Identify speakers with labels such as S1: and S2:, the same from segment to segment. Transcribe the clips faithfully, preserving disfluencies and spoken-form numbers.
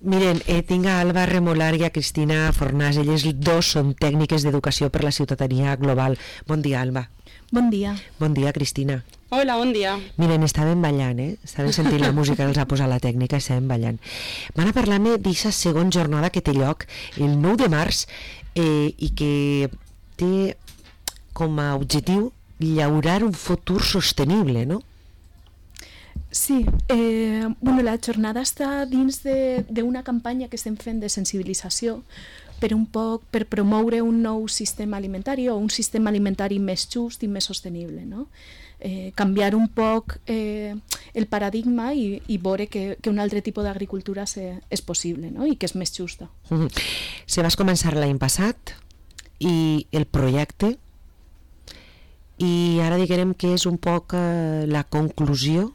S1: Miren, eh, tinc a Alba Remolar i a Cristina Fornàs. Elles dos són tècniques d'educació per la ciutadania global. Bon dia, Alba.
S2: Bon dia.
S1: Bon dia, Cristina.
S3: Hola, bon dia.
S1: Miren, estàvem ballant, eh? Estàvem sentint la música que els ha posat la tècnica i estàvem ballant. Van a parlar-me d'aquesta segona jornada que té lloc el nou de març eh, i que té com a objectiu llaurar un futur sostenible, no?
S2: Sí, eh, bueno, la jornada està dins d'una campanya que estem fent de sensibilització per un poc per promoure un nou sistema alimentari o un sistema alimentari més just i més sostenible, no? Eh, canviar un poc eh, el paradigma i, i veure que, que un altre tipus d'agricultura és possible, no? I que és més justa.
S1: Mm-hmm. Se vas començar l'any passat i el projecte i ara diguem que és un poc eh, la conclusió.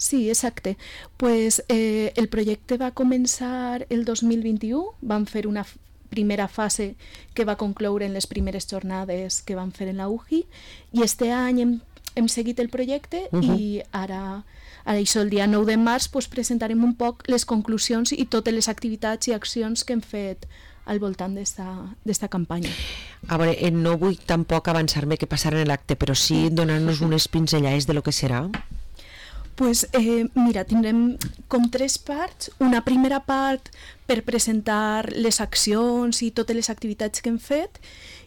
S2: Sí, exacte. Pues, eh, el projecte va començar el dos mil vint-i-u, vam fer una primera fase que va concloure en les primeres jornades que vam fer en la U J I i este any hem, hem seguit el projecte uh-huh. i ara, ara això, el dia nou de març pues, presentarem un poc les conclusions i totes les activitats i accions que hem fet al voltant d'esta campanya.
S1: A veure, no vull tampoc avançar-me que passarà en l'acte, però sí donar-nos unes pinzellades de lo que serà.
S2: Pues, eh, mira, tindrem com tres parts. Una primera part per presentar les accions i totes les activitats que hem fet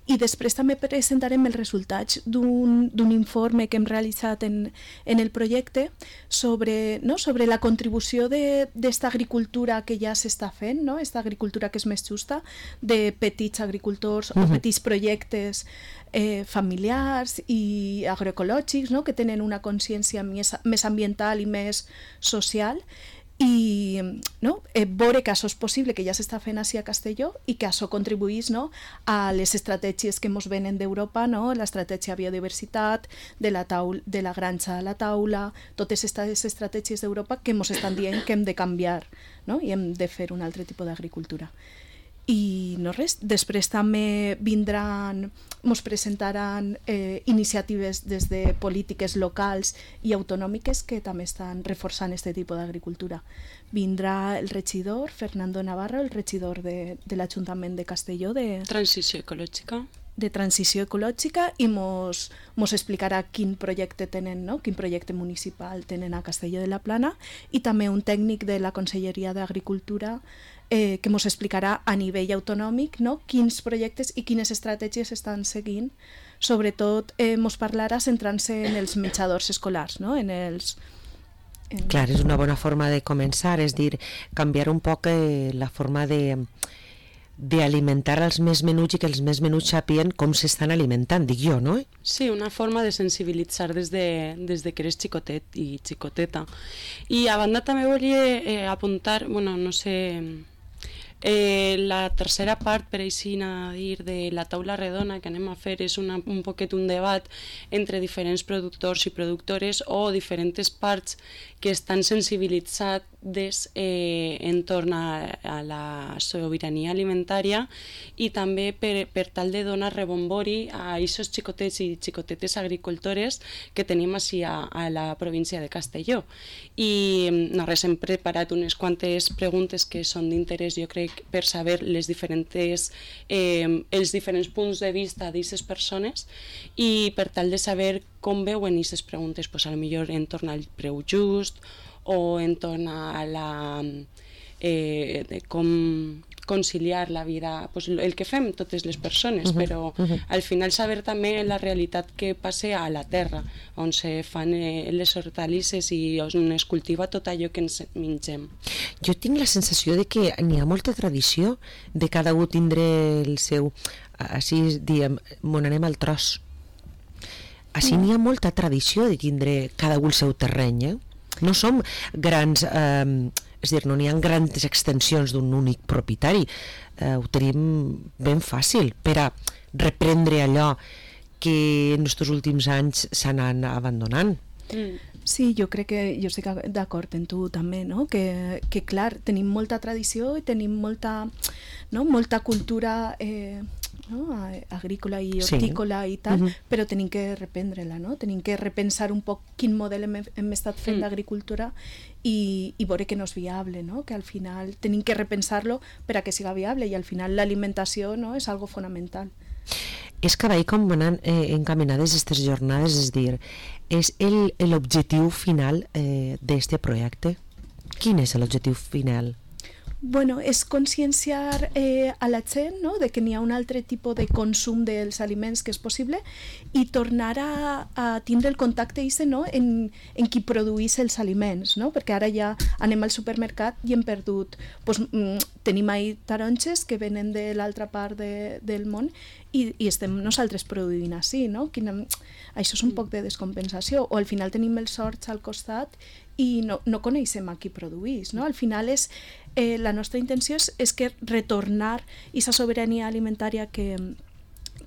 S2: i després també presentarem els resultats d'un informe que hem realitzat en, en el projecte sobre, no, sobre la contribució d'esta agricultura que ja s'està fent, no? Esta agricultura que és més justa, de petits agricultors uh-huh. o petits projectes eh, familiars i agroecològics, no? Que tenen una consciència més, més ambiental i més social i no? eh, veure que això és possible, que ja s'està fent així a Castelló i que això contribuís, no? A les estratègies que ens venen d'Europa, no? L'estratègia biodiversitat, de la, taula, de la granja a la taula, totes aquestes estratègies d'Europa que ens estan dient que hem de canviar, no? I hem de fer un altre tipus d'agricultura. I no res, després també vindran, ens presentaran eh, iniciatives des de polítiques locals i autonòmiques que també estan reforçant aquest tipus d'agricultura. Vindrà el regidor Fernando Navarro, el regidor de, de l'Ajuntament de Castelló de
S3: Transició ecològica
S2: de transició ecològica i mos, mos explicarà quin projecte tenen, no? Quin projecte municipal tenen a Castelló de la Plana i també un tècnic de la Conselleria d'Agricultura eh, que mos explicarà a nivell autonòmic, no? Quins projectes i quines estratègies estan seguint. Sobretot eh, mos parlarà centrant-se en els menjadors escolars, no? En els en...
S1: Clar, és una bona forma de començar, és dir, canviar un poc eh, la forma de d'alimentar els més menuts i que els més menuts sàpien com s'estan alimentant, dic jo, no?
S3: Sí, una forma de sensibilitzar des de, des de que eres xicotet i xicoteta. I a banda també volia eh, apuntar, bueno, no sé, eh, la tercera part, per així a dir, de la taula redona que anem a fer és una, un poquet un debat entre diferents productors i productores o diferents parts que estan sensibilitzades eh, entorn a, a la sobirania alimentària i també per, per tal de donar rebombori a aquests xicotets i xicotetes agricultores que tenim així a, a la província de Castelló. I no res, hem preparat unes quantes preguntes que són d'interès, jo crec, per saber les diferents, eh, els diferents punts de vista d'aquestes persones i per tal de saber com veuen aquestes preguntes, pues, a lo millor en torn al preu just o en torn a la eh, de com conciliar la vida, pues, el que fem totes les persones, uh-huh, però uh-huh. al final saber també la realitat que passa a la terra, on se fan eh, les hortalisses i on es cultiva tot allò que ens mengem.
S1: Jo tinc la sensació de que n'hi ha molta tradició de cada un tindre el seu, així diem, mon anem al tros. Així n'hi ha molta tradició de tindre cada un el seu terreny, eh? No som grans, eh, és a dir, no n'hi ha grans extensions d'un únic propietari, eh, ho tenim ben fàcil per a reprendre allò que en aquests últims anys s'han anat abandonant.
S2: Mm. Sí, jo crec que jo estic d'acord en tu també, no? Que, que clar, tenim molta tradició i tenim molta, no? molta cultura eh, no? Agrícola i hortícola sí. i tal, uh-huh. però tenim que reprendre-la, no? Tenim que repensar un poc quin model hem, hem estat fent mm. d'agricultura i, i veure que no és viable, no? Que al final tenim que repensar-lo per a que siga viable i al final l'alimentació, no? És algo fonamental.
S1: És que veig com van eh, encaminades aquestes jornades, és dir, és l'objectiu final eh, d'este projecte? Quin és l'objectiu final?
S2: Bueno, és conscienciar eh, a la gent, no? De que n'hi ha un altre tipus de consum dels aliments que és possible i tornar a, a tindre el contacte ese, no? en, en qui produís els aliments, no? Perquè ara ja anem al supermercat i hem perdut, pues, mm, tenim ahí taronges que venen de l'altra part de, del món i, i estem nosaltres produint així, no? Quina, això és un poc de descompensació, o al final tenim els horts al costat i no, no coneixem a qui produís, no? Al final és Eh, la nostra intenció és, és que retornar aquesta sobirania alimentària que,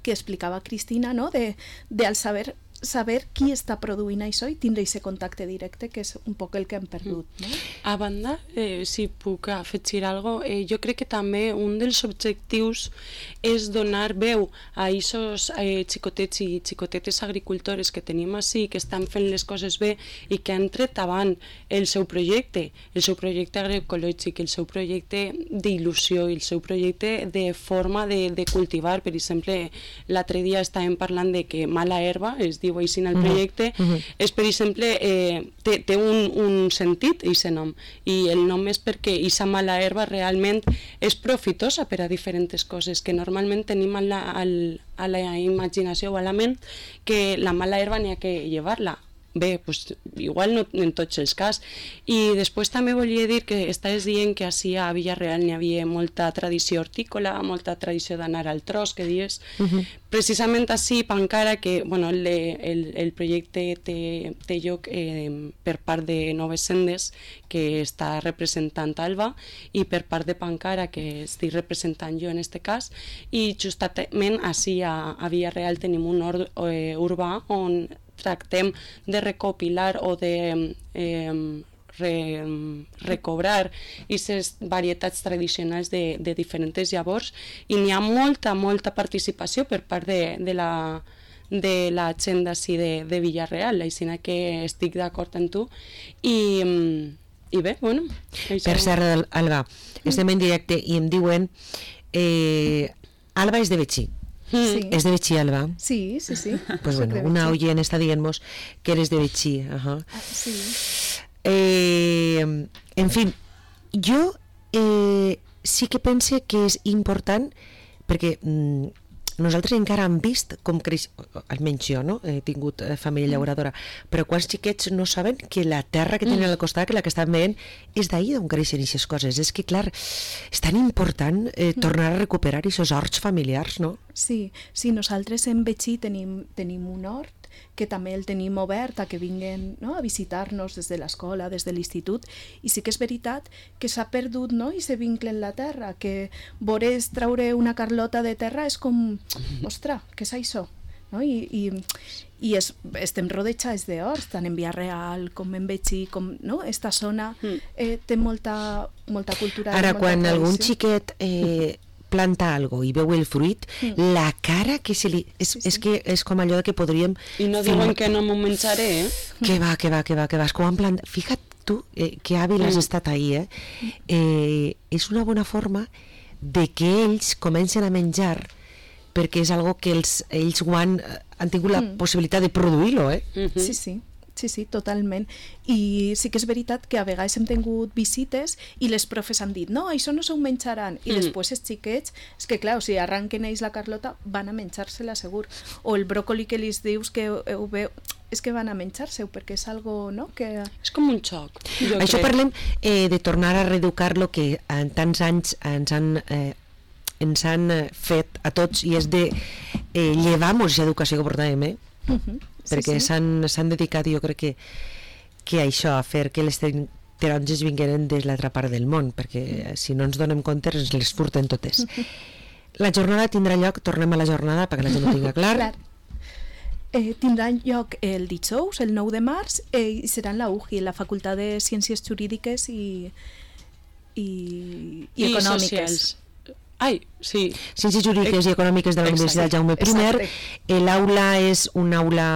S2: que explicava Cristina, no? de, de al saber, saber qui està produint això i tindre aquest contacte directe, que és un poc el que hem perdut. No?
S3: A banda, eh, si puc afegir alguna cosa, eh, jo crec que també un dels objectius és donar veu a aquests eh, xicotets i xicotetes agricultores que tenim així, que estan fent les coses bé i que han tret avant el seu projecte, el seu projecte agroecològic, el seu projecte d'il·lusió, el seu projecte de forma de, de cultivar. Per exemple, l'altre dia estàvem parlant de que mala herba, es diu així en el projecte, uh-huh. és, per exemple, eh, té, té un, un sentit, aquest nom, i el nom és perquè aquesta mala herba realment és profitosa per a diferents coses, que normalment tenim a la, a la imaginació o a la ment que la mala herba n'hi ha que llevar-la. Bé, pues, igual no en tots els cas. I després també volia dir que estaves dient que així a Villarreal n'hi havia molta tradició hortícola, molta tradició d'anar al tros, que dius. Uh-huh. Precisament així, Pancara, que bueno, el, el, el projecte té, té lloc eh, per part de Noves Sendes, que està representant Alba, i per part de Pancara, que estic representant jo en aquest cas, i justament així a, a Villarreal tenim un hort eh, urbà on tractem de recopilar o de eh, re, recobrar aquestes varietats tradicionals de, de diferents llavors, i n'hi ha molta, molta participació per part de, de la de la gent d'ací de, de Villarreal, així que estic d'acord amb tu i, i bé, bueno
S1: això... Per cert, Alba, estem en directe i em diuen eh, Alba és de Betxí. Sí. ¿Es de Betxí, Alba?
S2: Sí, sí, sí.
S1: Pues bueno, una oyen está, digamos, que eres de Betxí. Ajá.
S2: Ah, sí.
S1: Eh, en fin, jo eh, sí que pense que és important perquè mm, nosaltres encara hem vist com creix, almenys jo, no? He tingut família llauradora, però quants xiquets no saben que la terra que tenen al costat, que la que estan veient, és d'ahir d'on creixen aquestes coses. És que, clar, és tan important eh, tornar a recuperar aquests horts familiars, no?
S2: Sí, sí, nosaltres en Betxí tenim, tenim un hort que també el tenim obert a que vinguin, no? A visitar-nos des de l'escola, des de l'institut, i sí que és veritat que s'ha perdut, no? I se vincle en la terra, que veure traure una carlota de terra és com, ostres, què és això? No? I, i, i es, estem rodejats d'horts, tant en Villarreal com en Betxí, com, no? Esta zona eh, té molta, molta cultura.
S1: Ara,
S2: molta
S1: quan
S2: tradició.
S1: Algun xiquet eh, planta algo i veu el fruit, mm. la cara que se li... És, sí, sí. és que és com allò que podríem...
S3: I no diuen que no m'ho menjaré, eh?
S1: Que va, que va, que va, que va. És com en plan... Fija't tu, eh, que hàbil has mm. estat ahir, eh? eh? És una bona forma de que ells comencen a menjar perquè és algo que els, ells ho han, han tingut la mm. possibilitat de produir-lo, eh?
S2: Mm-hmm. Sí, sí. Sí, sí, totalment. I sí que és veritat que a vegades hem tingut visites i les profes han dit, no, això no s'ho menjaran. I mm. després els xiquets, és que clar, o sigui, arranquen ells la carlota, van a menjar-se-la segur. O el bròcoli que li dius que ho veu, és que van a menjar-se-ho perquè és algo, no? Que...
S3: És com un xoc.
S1: Això crec. Parlem eh, de tornar a reeducar lo que en tants anys ens han... Eh, ens han fet a tots, i és de eh, llevar-nos l'educació que portàvem, eh? Uh-huh. Perquè sí, sí. s'han dedicat, jo crec que, que a això, a fer que les taronges vingueren des l'altra part del món, perquè si no ens donem compte ens les furten totes. La jornada tindrà lloc, tornem a la jornada perquè la gent ho tinga clar.
S2: clar. Eh, tindrà lloc el dijous, el nou de març, eh, i serà en la U J I, la Facultat de Ciències Jurídiques i, i, i,
S3: I
S2: Econòmiques.
S3: Socials. Ai, sí.
S1: Ciències Jurídiques i Econòmiques de la
S3: Exacte.
S1: Universitat Jaume I. L'aula és una aula...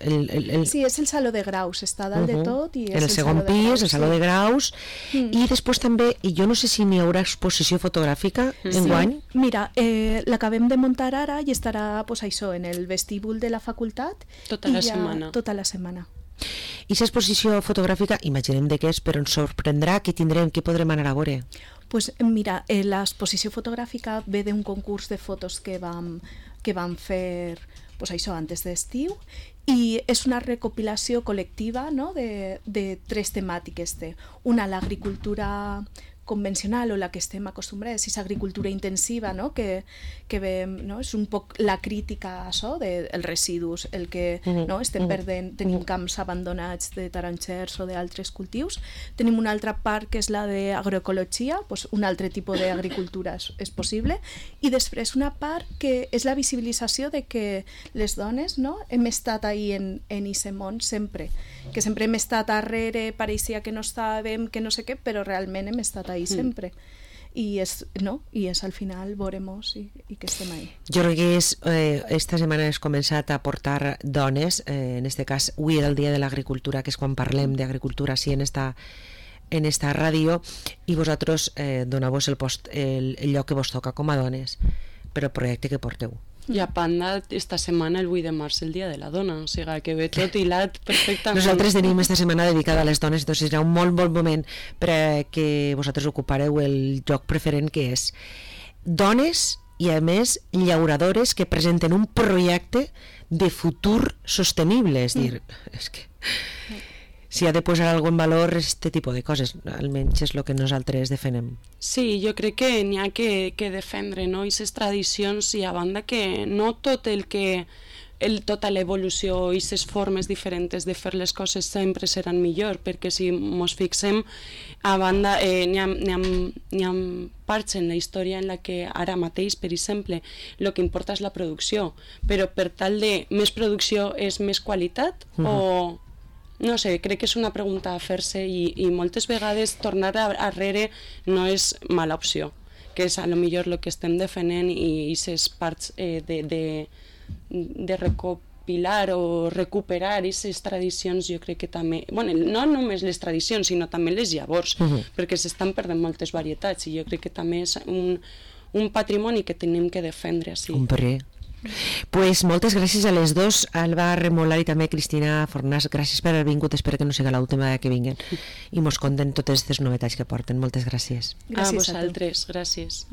S1: El, el, el...
S2: Sí, és el saló de graus, està dalt uh -huh. de tot. I és
S1: el, el segon
S2: saló de
S1: pis,
S2: graus,
S1: el saló
S2: sí.
S1: de graus, mm. i després també, i jo no sé si n'hi haurà exposició fotogràfica
S2: sí.
S1: enguany.
S2: Mira, eh, l'acabem de muntar ara i estarà pues, això, en el vestíbul de la facultat.
S3: Tota la ja, setmana.
S2: Tota la setmana.
S1: I aquesta exposició fotogràfica, imaginem de què és, però ens sorprendrà, què tindrem, què podrem anar a veure?
S2: Pues mira, eh, l'exposició fotogràfica ve d'un concurs de fotos que vam, que vam fer pues això, antes d'estiu, i és una recopilació col·lectiva, no?, de, de tres temàtiques. De, una, l'agricultura convencional o la que estem acostumbrats, és agricultura intensiva, no?, que, que ve, no?, és un poc la crítica a això dels de residus, el que uh-huh. no? estem perdent, tenim uh-huh. camps abandonats de taronxers o d'altres cultius. Tenim una altra part que és la d'agroecologia, doncs un altre tipus d'agricultura és, és possible, i després una part que és la visibilització de que les dones, no?, hem estat ahí en, en aquest món sempre, que sempre hem estat darrere, pareixia que no estàvem, que no sé què, però realment hem estat ahí sempre. I és, no? I és al final veuremos i, i que estem ahí.
S1: Jo crec que és, eh, esta setmana has començat a portar dones, eh, en este cas avui era el dia de l'agricultura, que és quan parlem d'agricultura sí, en esta en esta ràdio, i vosaltres eh, doneu-vos el, post, el, el lloc que vos toca com a dones per el projecte que porteu.
S3: I a Panda, esta setmana, el vuit de març, el dia de la dona, o sigui que ve tot hilat perfectament.
S1: Nosaltres tenim esta setmana dedicada a les dones, doncs serà un molt bon moment per que vosaltres ocupareu el lloc preferent, que és dones i, a més, llauradores que presenten un projecte de futur sostenible, és dir, mm. és que si ha de posar algo en valor este tipus de coses, almenys és el que nosaltres defenem.
S3: Sí, jo crec que n'hi ha que, que defendre, no?, aquestes tradicions, i a banda que no tot el que el, tota l'evolució i aquestes formes diferents de fer les coses sempre seran millor, perquè si ens fixem, a banda eh, n'hi ha, n'hi ha, n'hi ha parts en la història en la que ara mateix, per exemple, el que importa és la producció, però per tal de més producció és més qualitat, uh-huh. o... No sé, crec que és una pregunta a fer-se, i, i moltes vegades tornar arrere no és mala opció, que és a lo millor el que estem defendent, i aquestes parts eh, de, de, de recopilar o recuperar aquestes tradicions, jo crec que també, bueno, no només les tradicions, sinó també les llavors, uh-huh. perquè s'estan perdent moltes varietats, i jo crec que també és un, un patrimoni que tenim que defendre. Sí.
S1: Hombre. Pues moltes gràcies a les dos, Alba Remolar i també Cristina Fornàs, gràcies per haver vingut, espero que no sigui l'última que vinguen i mos conten totes aquestes novetats que porten. Moltes gràcies.
S3: Gràcies a vosaltres, gràcies.